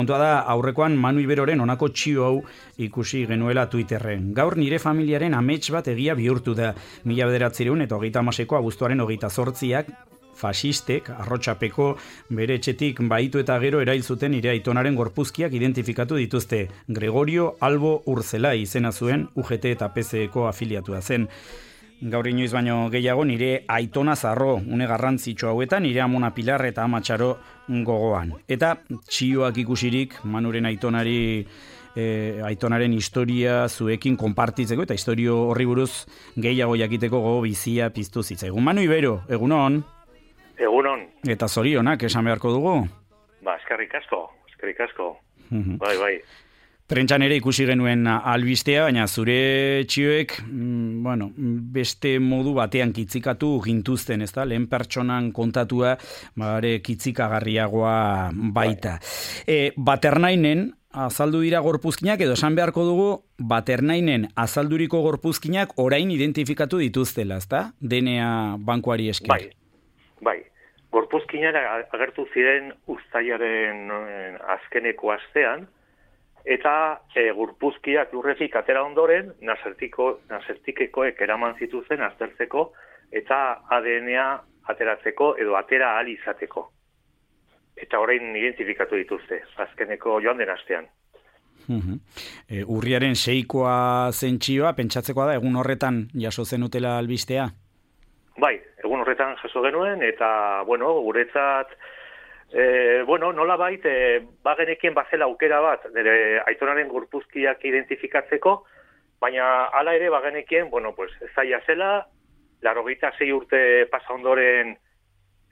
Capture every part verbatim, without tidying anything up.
Kontua da, aurrekoan Manu Iberoren honako txio hau ikusi genuela Twitterren. Gaur nire familiaren amets bat egia bihurtu da. Mila bederatzireun eta hogeita hamaseko abuztuaren hogeita zortziak, fasistek, arrotxapeko, bere etxetik baitu eta gero erail zuten nire aitonaren gorpuzkiak identifikatu dituzte. Gregorio Albo Urzelai izena zuen, U G T eta P S E-ko afiliatua zen. Gaur inoiz baino gehiago nire aitona zarro, une garrantzitsu hauetan, nire amona Pilar eta ama Txaro gogoan. Eta txioak ikusirik, Manuren aitonari, e, aitonaren historia zuekin konpartitzeko, eta historio horri buruz gehiago jakiteko gogo bizia piztu zitzaigun. Manu Ibero, egunon? Egunon. Eta zorionak, esan beharko dugu? Ba, eskerrik asko, eskerrik asko. Bai, bai. Prentxan ere ikusi genuen albistea, baina zure txioek, mm, bueno, beste modu batean kitzikatu gintuzten, ez da? Lehen pertsonan kontatua, bare kitzikagarriagoa baita. E, Baternainen azaldu dira gorpuzkinak, edo esan beharko dugu, Baternainen azalduriko gorpuzkinak orain identifikatu dituztela, ez da? D N A bankuari esker. Bai, bai. Gorpuzkinak agertu ziren uztailaren azkeneko astean, eta e, gorpuzkiak lurretik atera ondoren, nasertikekoek eraman zituzen aztertzeko, eta A D N A ateratzeko edo atera ahal izateko. Eta orain identifikatu dituzte, azkeneko joan den astean. Uhum. E, urriaren seikoa zentxioa, pentsatzekoa da, egun horretan jaso zenutela albistea? Bai, egun horretan jaso genuen, eta, bueno, guretzat, E, bueno, nola bait, e, bagenekien bazela aukera bat, nire aitonaren gorpuzkiak identifikatzeko, baina hala ere bagenekien, bueno, pues, zaila zela, laurogeita sei urte pasa ondoren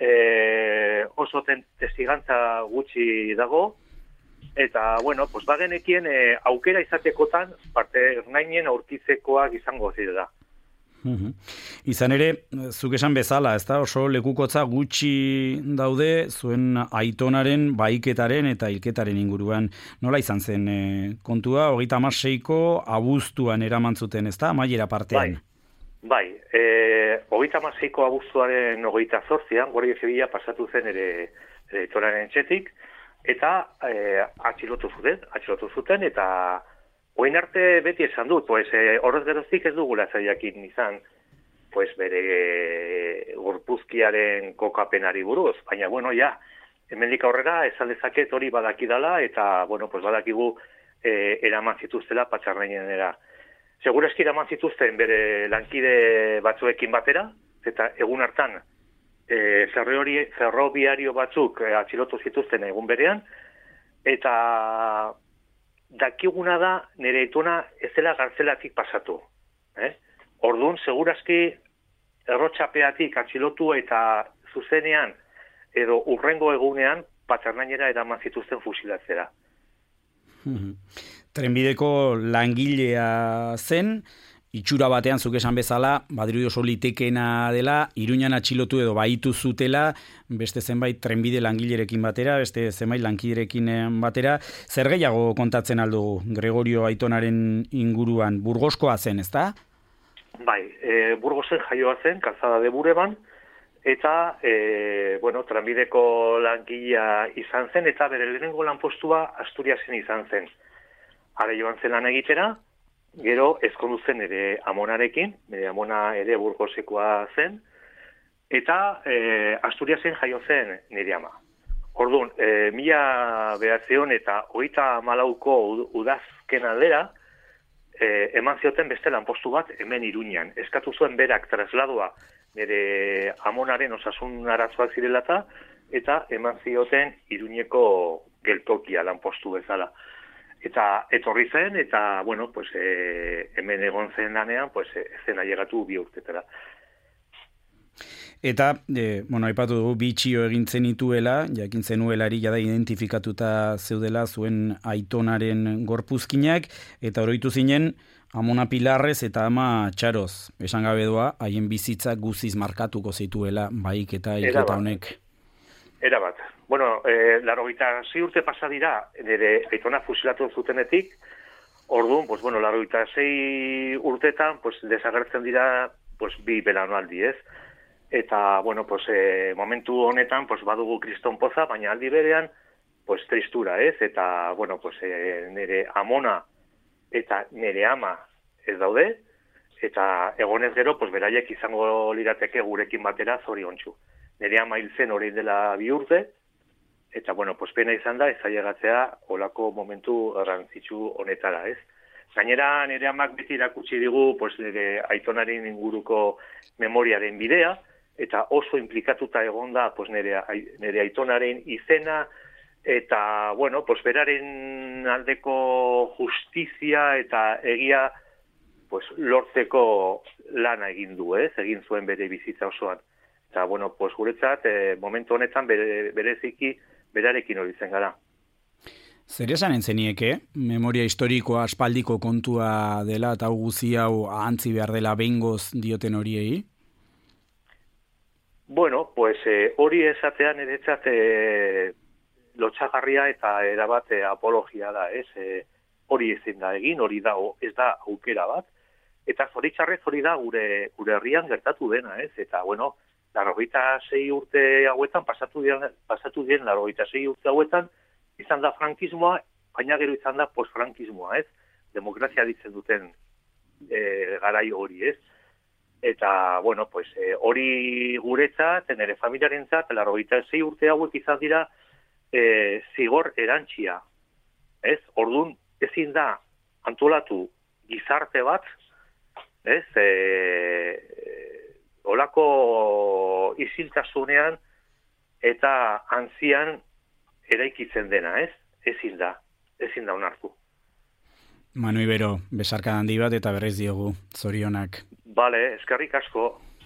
e, oso testigantza gutxi dago, eta, bueno, pues, bagenekien e, aukera izatekotan, parte ernainen aurkitzekoak izango zirela. Uhum. Izan ere, zuk esan bezala, ez da, oso lekukotza gutxi daude zuen aitonaren, baiketaren eta hilketaren inguruan. Nola izan zen e, kontua, hogeita hamaseiko abuztuan eraman zuten, ez da, amaiera partean? Bai, bai. E, hogeita hamaseiko abuztuaren hogeita zortzian, Guardia Zibila pasatu zen ere, ere aitonaren etxetik, eta e, atxilotu zuten, atxilotu zuten, eta oin arte beti esan dut, pues, eh, horrez geroztik ez dugula zailakin izan, pues, bere e, gorpuzkiaren kokapenari buruz, baina, bueno, ja, hemendik aurrera esan dezaket hori badakidala, eta, bueno, pues, badakigu e, eraman zituztela patxarnainenera. Segurazki eraman zituzten bere lankide batzuekin batera, eta egun hartan e, ferrobiario batzuk e, atxilotu zituzten egun berean, eta dakiguna da nire aitona ez dela gartzelatik pasatu. Eh? Orduan, segurazki errotxapeatik atxilotu eta zuzenean edo urrengo egunean patxarnainera eraman zituzten fusilatzera. Trenbideko langilea zen, itxura batean zuk esan bezala, badiri oso litekena dela, Iruñan atxilotu edo baitu zutela, beste zenbait trenbide langilerekin batera, beste zenbait lankiderekin batera. Zer gehiago kontatzen aldugu Gregorio aitonaren inguruan? Burgoskoa zen, ez da? Bai, e, Burgosen jaioa zen, Kalzada de Bureban, eta, e, bueno, trenbideko langilea izan zen, eta bere lehenengo lanpostua Asturiasen izan zen. Hara joan zen lan egitera, gero ezkondu zen ere amonarekin, ere amona ere Burgosekoa zen, eta e, Asturiasen jaio zen nire ama. Orduan, e, mila behatzion eta hogeita malauko udazken aldera, e, eman zioten beste lanpostu bat hemen Iruñan. Eskatu zuen berak trasladoa nire amonaren osasun arazoak zirelata, eta eman zioten Iruñeko geltokia lanpostu bezala. Eta etorri zen, eta, bueno, pues, e, hemen egon zen lanean, pues, e, zen ailegatu bi urtetara. Eta, e, bueno, aipatu dugu, bi txio egin zenituela, jakin zenuelari jada identifikatuta zeudela zuen aitonaren gorpuzkinak, eta oroitu zinen, amona Pilarrez eta ama Txaroz, esan gabe doa, haien bizitza guziz markatuko zituela, baik eta hilketa honek. Era bat. Bueno, eh, laurogeita sei urte pasa dira, nire aitona fusilatu zutenetik, orduan, pues, bueno, laurogeita sei urtetan, pues, desagertzen dira, pues, bi belaunaldi, ez? Eta, bueno, pues, eh, momentu honetan, pues, badugu kriston poza, baina aldi berean, pues, tristura, ez? Eta, bueno, pues, e, nire amona eta nire ama ez daude, eta egonez gero, pues, beraiek izango lirateke gurekin batera zoriontsu. Nire ama hil zen orain dela bi urte, eta, bueno, pues, pena izan da, ez ailegatzea olako momentu garrantzitsu honetara, ez? Gainera, nire amak beti irakutsi digu, pues, nire aitonaren inguruko memoriaren bidea, eta oso implikatuta egonda, pues, nire, nire aitonaren izena, eta, bueno, pues, beraren aldeko justizia eta egia, pues, lortzeko lana egin du, ez? Egin zuen bere bizitza osoan. Eta, bueno, pues, guretzat, eh, momentu honetan bere, bereziki berarekin hori zen gara. Zer esan entzenieke, memoria historikoa aspaldiko kontua dela eta guzi hau ahantzi behar dela behingoz dioten horiei? Bueno, pues eh, hori esatean eretzat eh, lotxagarria eta erabat eh, apologia da, ez? Eh, hori ezin da egin, hori da, ez da aukera bat. Eta zoritxarrez hori da gure, gure herrian gertatu dena, ez? Eta, bueno, larrogeita sei urte hauetan, pasatu dien, pasatu dien larrogeita sei urte hauetan, izan da frankismoa, baina gero izan da postfrankismoa, ez? Demokrazia ditzen duten e, garai hori, ez? Eta, bueno, pues, e, hori guretzat, nire familiarentzat, larrogeita sei urte hauek izan dira e, zigor erantxia, ez? Orduan, ezin da antolatu gizarte bat, ez? E, olako isiltasunean eta antzian eraikitzen dena, ez? Ezin da, ezin da onartu. Manu Ibero, besarka handi bat eta berrez diogu, zorionak. Bale, eskerrik asko.